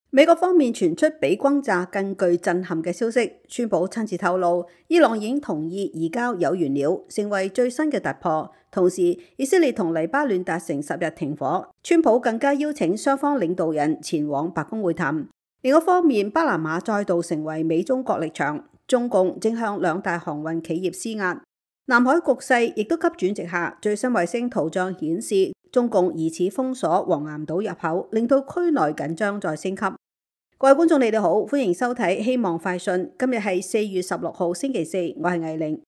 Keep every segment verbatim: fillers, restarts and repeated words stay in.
美國方面傳出比轟炸更具震撼嘅消息，川普親自透露，伊朗已經同意移交有源料，成為最新嘅突破。同時，以色列同黎巴嫩達成十日停火，川普更加邀請雙方領導人前往白宮會談。另一方面，巴拿馬再度成為美中角力場，中共正向兩大航運企業施壓。南海局勢亦都急轉直下，最新衛星圖像顯示，中共疑似封鎖黃岩島入口，令到區內緊張再升級。各位觀眾，你哋好，歡迎收睇《希望快訊》。今日係四月十六號星期四，我係藝玲。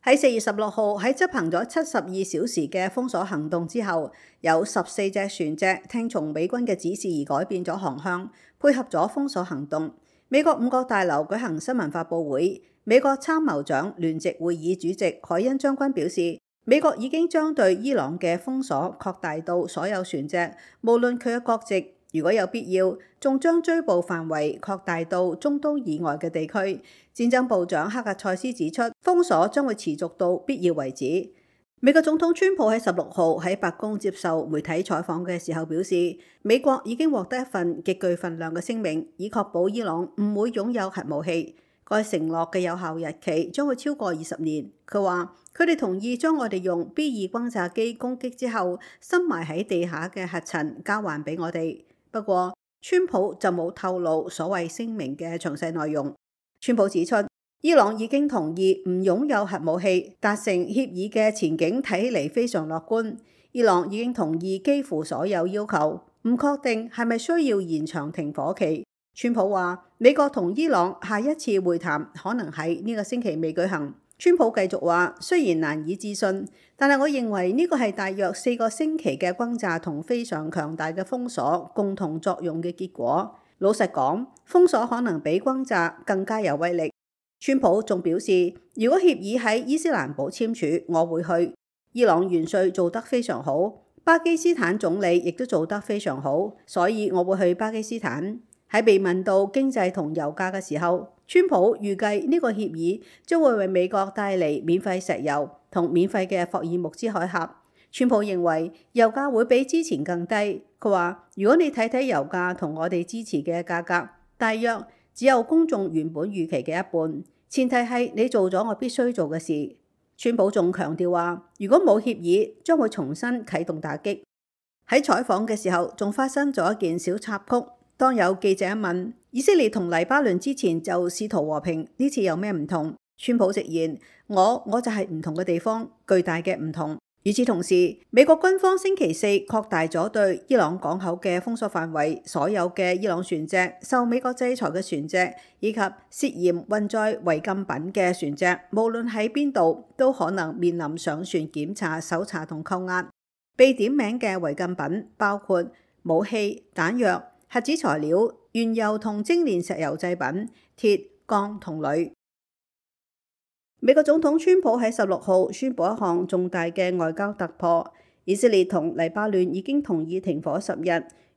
喺四月十六號，喺執行咗七十二小時嘅封鎖行動之後，有十四隻船隻聽從美軍嘅指示而改變咗航向，配合咗封鎖行動。美國五角大樓舉行新聞發佈會，美國參謀長聯席會議主席海恩將軍表示，美國已經將對伊朗嘅封鎖擴大到所有船隻，無論佢嘅國籍。如果有必要，仲將追捕範圍擴大到中東以外嘅地區。戰爭部長克格塞斯指出，封鎖將會持續到必要為止。美國總統川普喺十六號喺白宮接受媒體採訪嘅時候表示，美國已經獲得一份極具分量嘅聲明，以確保伊朗唔會擁有核武器。該承諾嘅有效日期將會超過二十年。佢話，佢哋同意將我哋用 B 二轟炸機攻擊之後深埋喺地下嘅核塵交還俾我哋。不過，川普就冇透露所謂聲明嘅詳細內容。川普指出，伊朗已經同意唔擁有核武器，達成協議嘅前景睇起嚟非常樂觀。伊朗已經同意幾乎所有要求，唔確定係咪需要延長停火期。川普話，美國同伊朗下一次會談可能喺呢個星期未舉行。川普繼續話，雖然難以置信，但係我認為呢個係大約四個星期嘅轟炸同非常強大嘅封鎖共同作用嘅結果。老實講，封鎖可能比轟炸更加有威力。川普仲表示，如果協議喺伊斯蘭堡簽署，我會去。伊朗元帥做得非常好，巴基斯坦總理亦都做得非常好，所以我會去巴基斯坦。喺被問到經濟同油價嘅時候，川普預計呢個協議將會為美國帶嚟免費石油同免費嘅霍爾木茲海峽。川普認為油價會比之前更低。佢話，如果你睇睇油價同我哋支持嘅價格，大約只有公眾原本預期嘅一半。前提係你做咗我必須做嘅事。川普仲強調話，如果冇協議，將會重新啟動打擊。喺採訪嘅時候，仲發生咗一件小插曲。當有記者問以色列同黎巴嫩之前就試圖和平，呢次有咩唔同？川普直言，我我就係唔同嘅地方，巨大嘅唔同。與此同時，美國軍方星期四擴大咗對伊朗港口嘅封鎖範圍，所有嘅伊朗船隻、受美國制裁嘅船隻以及涉嫌運載違禁品嘅船隻，無論喺邊度都可能面臨上船檢查、搜查同扣押。被點名嘅違禁品包括武器、彈藥、核子材料、原油同精煉石油製品、鐵、鋼同鋁。美國總統川普喺十六號宣布一項重大嘅外交突破，以色列同黎巴嫩已經同意停火十日，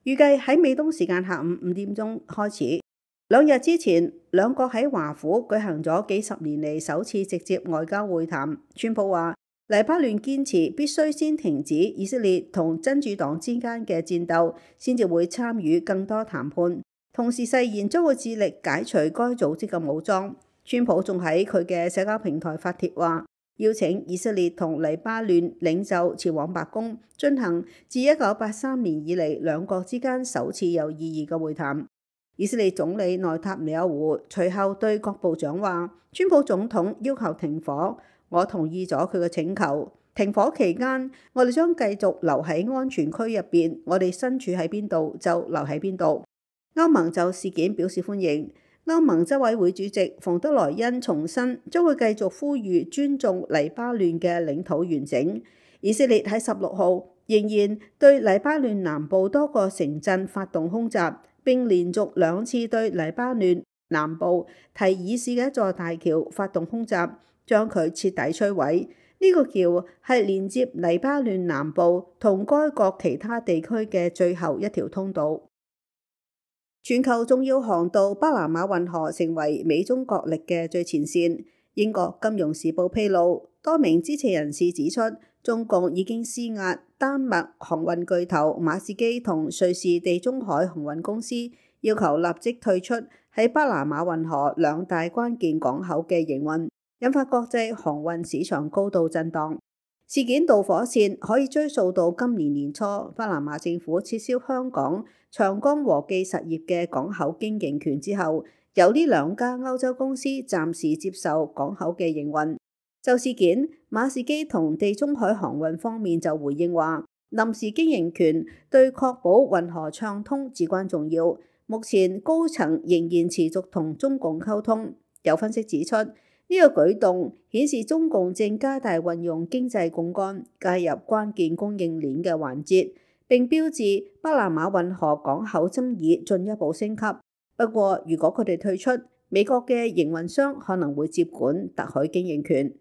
預計喺美東時間下午五點鐘開始。兩日之前，兩國喺華府舉行咗幾十年嚟首次直接外交會談。川普話，黎巴嫩堅持必須先停止以色列同真主黨之間嘅戰鬥，先至會參與更多談判。同時誓言將會致力解除該組織嘅武裝。川普仲喺佢嘅社交平台發帖話，邀請以色列同黎巴嫩領袖前往白宮，進行自一九八三年以嚟兩國之間首次有意義嘅會談。以色列總理內塔尼亞胡隨後對各部長話，川普總統要求停火，我同意咗佢嘅請求。停火期間，我哋將繼續留喺安全區入邊，我哋身處喺邊度就留喺邊度。歐盟就事件表示歡迎。歐盟執委會主席馮德萊恩重申，將會繼續呼籲尊重黎巴嫩嘅領土完整。以色列喺十六號仍然對黎巴嫩南部多個城鎮發動空襲，並連續兩次對黎巴嫩南部提爾市嘅一座大橋發動空襲，將佢徹底摧毀。呢、這個橋係連接黎巴嫩南部同該國其他地區嘅最後一條通道。全球重要航道巴拿馬運河成為美中角力嘅最前線。英國金融時報披露，多名知情人士指出，中共已經施壓丹麥航運巨頭馬士基同瑞士地中海航運公司，要求立即退出喺巴拿馬運河兩大關鍵港口嘅營運，引發國際航運市場高度震盪。事件導火線可以追溯到今年年初，巴拿馬政府撤銷香港長江和記實業嘅港口經營權之後，由呢兩家歐洲公司暫時接受港口嘅營運。就事件，馬士基同地中海航運方面就回應話，臨時經營權對確保運河暢通至關重要。目前高層仍然持續同中共溝通。有分析指出，呢個舉動顯示中共正加大運用經濟槓桿，介入關鍵供應鏈嘅環節，並標誌巴拿馬運河港口爭議進一步升級。不過，如果佢哋退出，美國嘅營運商可能會接管特許經營權。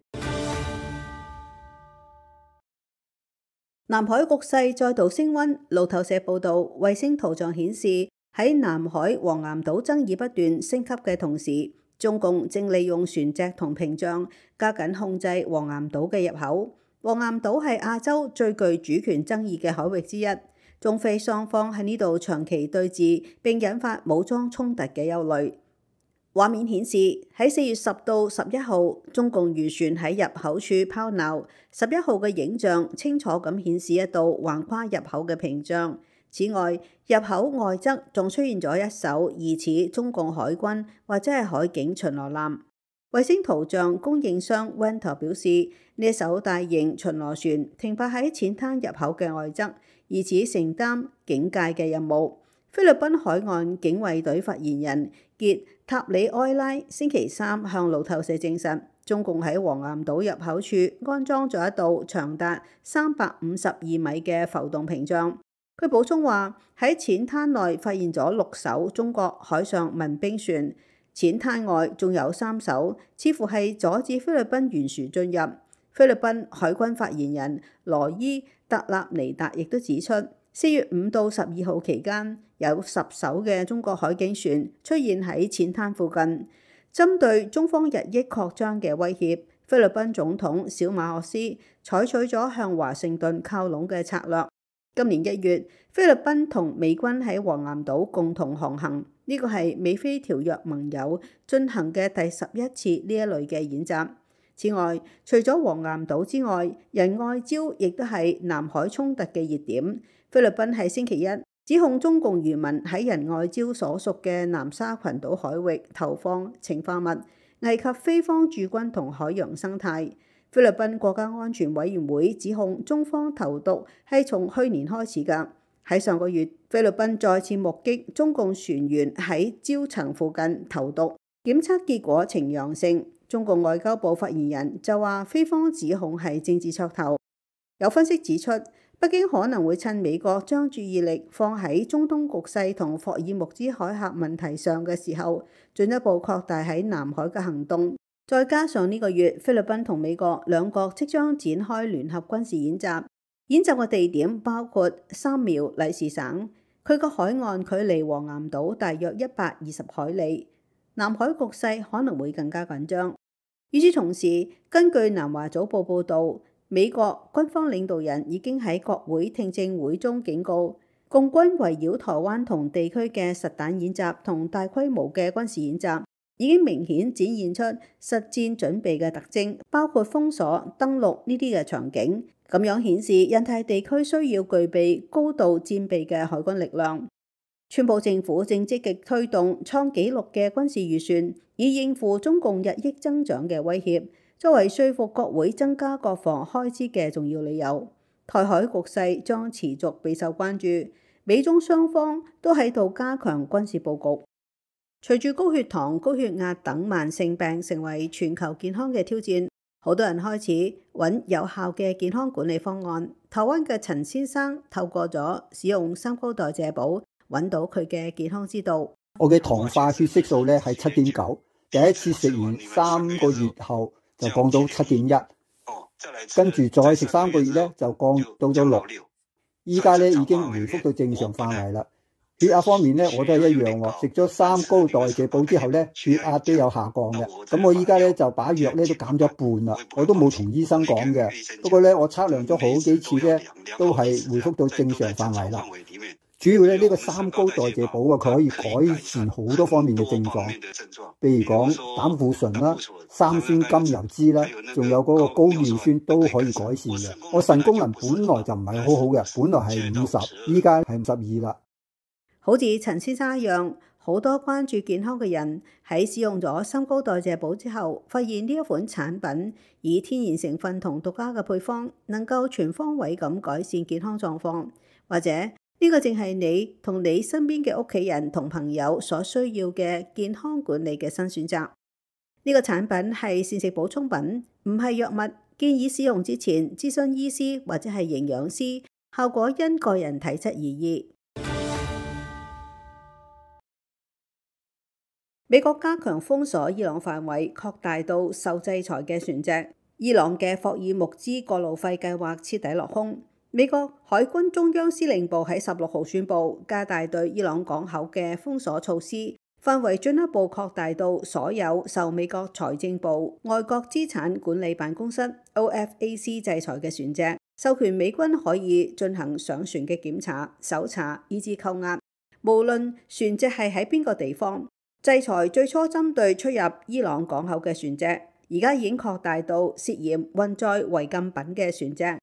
南海局勢再度升溫，路透社報導，衛星圖像顯示喺南海黃岩島爭議不斷升級嘅同時，中共正利用船隻同屏障加緊控制黃岩島嘅入口。黃岩島係亞洲最具主權爭議嘅海域之一，中非雙方喺呢度長期對峙，並引發武裝衝突嘅憂慮。畫面顯示喺四月十到十一號，中共漁船喺入口處拋錨。十一號嘅影像清楚咁顯示一道橫跨入口嘅屏障。此外，入口外側仲出現咗一艘疑似中共海軍或者係海警巡邏艦。衛星圖像供應商 Ventor 表示，呢一艘大型巡邏船停泊喺淺灘入口嘅外側，疑似承擔警戒嘅任務。菲律賓海岸警衛隊發言人傑塔里埃拉星期三向路透社證實，中共喺黃岩島入口處安裝咗一道長達三百五十二米嘅浮動屏障。佢補充話，喺淺灘內發現咗六艘中國海上民兵船，淺灘外仲有三艘，似乎係阻止菲律賓漁船進入。菲律賓海軍發言人羅伊特納尼達亦都指出，四月五到十二號期間，有十艘嘅中國海警船出現喺淺灘附近。針對中方日益擴張嘅威脅，菲律賓總統小馬可斯採取咗向華盛頓靠攏嘅策略。今年一月，菲律賓同美軍喺黃岩島共同航行，呢個係美菲條約盟友進行嘅第十一次呢一類嘅演習。此外，除咗黃岩島之外，仁愛礁亦都係南海衝突嘅熱點。菲律賓喺星期一指控中共漁民喺仁愛礁所屬嘅南沙群島海域投放氰化物，危及菲方駐軍同海洋生態。菲律賓國家安全委員會指控中方投毒係從去年開始㗎。喺上個月，菲律賓再次目擊中共船員喺礁層附近投毒，檢測結果呈陽性。中共外交部發言人就話，菲方指控係政治噱頭。有分析指出，北京可能會趁美國將注意力放喺中東局勢同霍爾木茲海峽問題上嘅時候，進一步擴大喺南海嘅行動。再加上呢個月，菲律賓同美國兩國即將展開聯合軍事演習，演習嘅地點包括三苗禮士省，佢個海岸距離黃岩島大約一百二十海里，南海局勢可能會更加緊張。與此同時，根據南華早報報導，美國軍方領導人已經喺國會聽證會中警告，共軍圍繞台灣同地區嘅實彈演習同大規模嘅軍事演習，已經明顯展現出實戰準備嘅特徵，包括封鎖、登陸呢啲嘅場景。咁樣顯示印太地區需要具備高度戰備嘅海軍力量。川普政府正積極推動創紀錄嘅軍事預算，以應付中共日益增長嘅威脅，作為說服國會增加國防開支嘅重要理由。台海局勢將持續備受關注，美中雙方都喺度加強軍事佈局。隨住高血糖、高血壓等慢性病成為全球健康嘅挑戰，好多人開始揾有效嘅健康管理方案。台灣嘅陳先生透過咗使用三高代謝寶，揾到佢嘅健康之道。我嘅糖化血色素咧係七點九，第一次食完三個月後就降到七點一，跟住再食三個月咧就降到咗六，依家咧已經回復到正常範圍啦。血壓方面咧，我都係一樣喎。食咗三高代謝補之後咧，血壓都有下降嘅。咁我依家咧就把藥咧都減咗一半啦，我都冇同醫生講嘅。不過咧，我測量咗好幾次咧，都係回復到正常範圍啦。主要咧呢個三高代謝補啊，佢可以改善好多方面嘅症狀，譬如講膽固醇啦、三酸甘油酯啦，仲有嗰個高尿酸都可以改善嘅。我腎功能本來就唔係好好嘅，本來係五十，依家係五十二啦。好似陳先生一樣，好多關注健康嘅人喺使用咗三高代謝補之後，發現呢一款產品以天然成分同獨家嘅配方，能夠全方位咁改善健康狀況，或者呢個正係你同你身邊嘅屋企人同朋友所需要嘅健康管理嘅新選擇。呢個產品係膳食補充品，唔係藥物，建議使用之前諮詢醫師或者係營養師，效果因個人體質而異。美國加強封鎖伊朗範圍，擴大到受制裁嘅船隻。伊朗嘅霍爾木茲過路費計劃徹底落空。美國海軍中央司令部喺十六號宣布，加大對伊朗港口嘅封鎖措施，範圍進一步擴大到所有受美國財政部外國資產管理辦公室 O F A C 制裁嘅船隻，授權美軍可以進行上船嘅檢查、搜查以至扣押，無論船隻係喺邊個地方。制裁最初針對出入伊朗港口嘅船隻，而家已經擴大到涉嫌運載違禁品嘅船隻。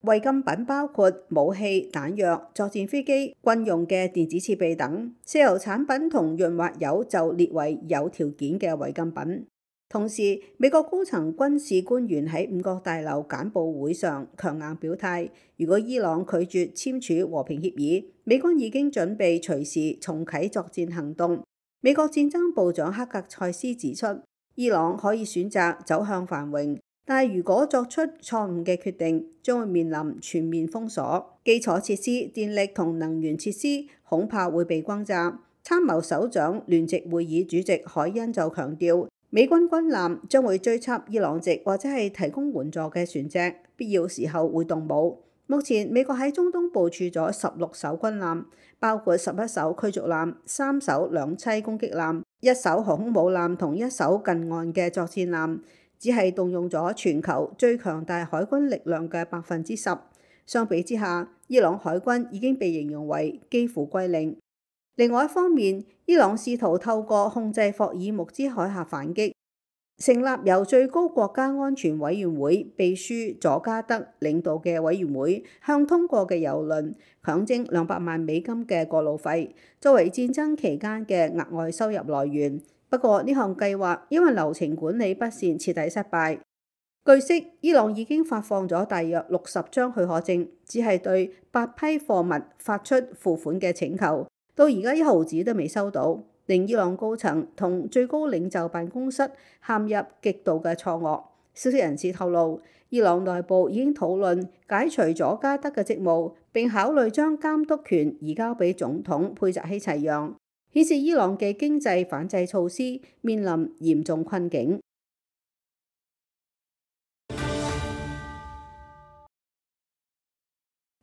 違禁品包括武器、彈藥、作戰飛機、軍用嘅電子設備等。石油產品同潤滑油就列為有條件嘅違禁品。同時，美國高層軍事官員喺五角大樓簡報會上強硬表態，如果伊朗拒絕簽署和平協議，美軍已經準備隨時重啟作戰行動。美國戰爭部長克格塞斯指出，伊朗可以選擇走向繁榮，但係如果作出錯誤嘅決定，將會面臨全面封鎖，基礎設施、電力同能源設施恐怕會被轟炸。參謀首長聯席會議主席海恩就強調，美軍軍艦將會追緝伊朗籍或者係提供援助嘅船隻，必要時候會動武。目前美國喺中東部署咗十六艘軍艦，包括十一艘驅逐艦、三艘兩棲攻擊艦、一艘航空母艦同一艘近岸嘅作戰艦，只係動用咗全球最強大海軍力量嘅百分之十。相比之下，伊朗海軍已經被形容為幾乎歸零。另外一方面，伊朗試圖透過控制霍爾木茲海峽反擊。成立由最高國家安全委員會秘書佐加德領導嘅委員會，向通過嘅郵輪強徵兩百萬美金嘅過路費，作為戰爭期間嘅額外收入來源。不過呢項計劃因為流程管理不善，徹底失敗。據悉，伊朗已經發放咗大約六十張許可證，只係對八批貨物發出付款嘅請求，到而家一毫子都未收到，令伊朗高層同最高領袖辦公室陷入極度嘅錯愕。消息人士透露，伊朗內部已經討論解除佐加德嘅職務，並考慮將監督權移交俾總統佩澤希齊揚，顯示伊朗嘅經濟反制措施面臨嚴重困境。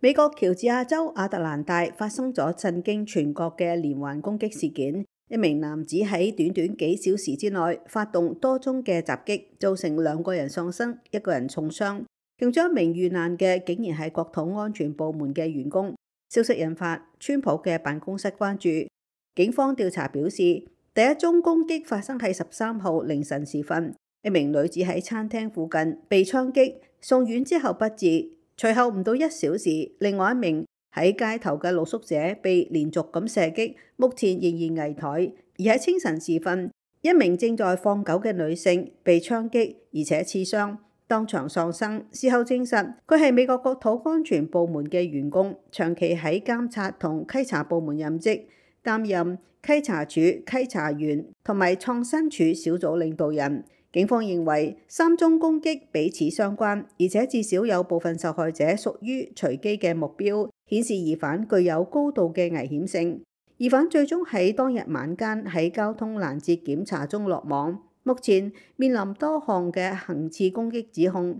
美國喬治亞州亞特蘭大發生咗震驚全國嘅連環攻擊事件。一名男子喺短短幾小時之內發動多宗嘅襲擊，造成兩個人喪生，一個人重傷。其中一名遇難嘅竟然係國土安全部門嘅員工。消息引發川普嘅辦公室關注。警方調查表示，第一宗攻擊發生喺十三號凌晨時分，一名女子喺餐廳附近被槍擊，送院之後不治。隨後唔到一小時，另外一名喺街頭嘅露宿者被連續咁射擊，目前仍然危殆。而喺清晨時分，一名正在放狗嘅女性被槍擊，而且刺傷，當場喪生。事後證實，佢係美國國土安全部門嘅員工，長期喺監察同稽查部門任職，擔任稽查處稽查員同埋創新處小組領導人。警方認為三宗攻擊彼此相關，而且至少有部分受害者屬於隨機嘅目標，顯示疑犯具有高度嘅危險性。疑犯最終喺當日晚間喺交通攔截檢查中落網，目前面臨多項嘅行刺攻擊指控。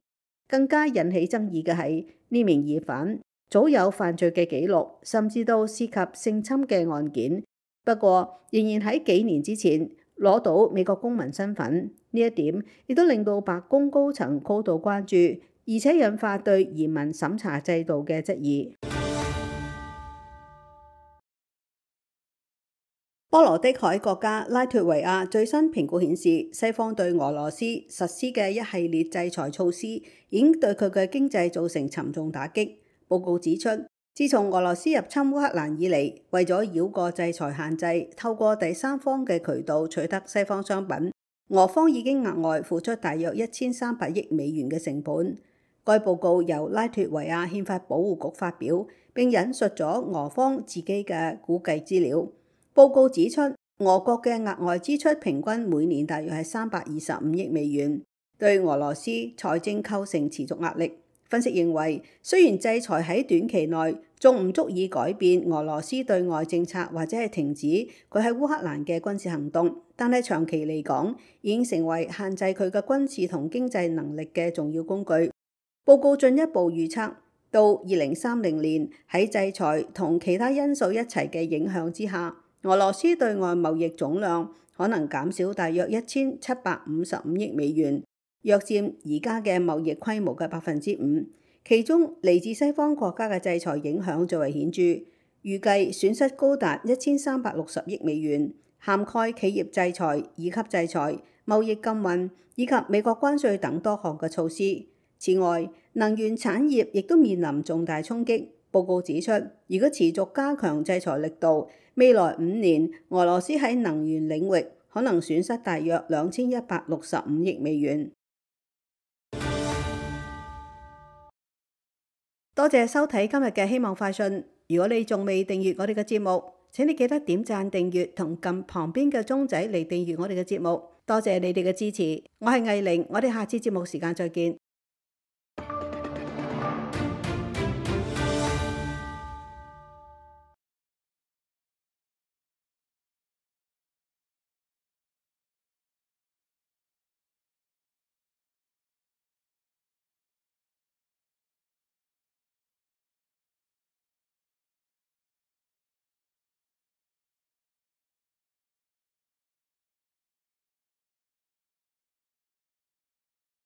更加引起爭議嘅係呢名疑犯早有犯罪嘅記錄，甚至到涉及性侵嘅案件。不過，仍然喺幾年之前攞到美國公民身份，呢一點亦都令到白宮高層高度關注，而且引發對移民審查制度嘅質疑。波羅的海國家拉脫維亞最新評估顯示，西方對俄羅斯實施嘅一系列制裁措施已經對佢嘅經濟造成沉重打擊。報告指出，自從俄羅斯入侵烏克蘭以嚟，為咗繞過制裁限制，透過第三方嘅渠道取得西方商品，俄方已經額外付出大約一千三百億美元嘅成本。該報告由拉脫維亞憲法保護局發表，並引述咗俄方自己嘅估計資料。報告指出，俄國嘅額外支出平均每年大約係三百二十五億美元，對俄羅斯財政構成持續壓力。分析認為，雖然制裁喺短期內仲唔足以改變俄羅斯對外政策或者係停止佢喺烏克蘭嘅軍事行動，但係長期嚟講已經成為限制佢嘅軍事同經濟能力嘅重要工具。報告進一步預測，到二零三零年喺制裁同其他因素一齊嘅影響之下，俄羅斯對外貿易總量可能減少大約一千七百五十五億美元，約佔而家嘅貿易規模嘅百分之五。其中嚟自西方國家嘅制裁影響最為顯著，預計損失高達一千三百六十億美元，涵蓋企業制裁、二級制裁、貿易禁運以及美國關稅等多項嘅措施。此外，能源產業亦都面臨重大衝擊。報告指出，如果持續加強制裁力度，未來五年俄羅斯喺能源領域可能損失大約兩千一百六十五億美元。多謝收睇今日嘅希望快訊。如果你仲未訂閱我哋嘅節目，請你記得點讚訂閱同撳旁邊嘅鐘仔嚟訂閱我哋嘅節目。多謝你哋嘅支持。我係藝玲，我哋下次節目時間再見。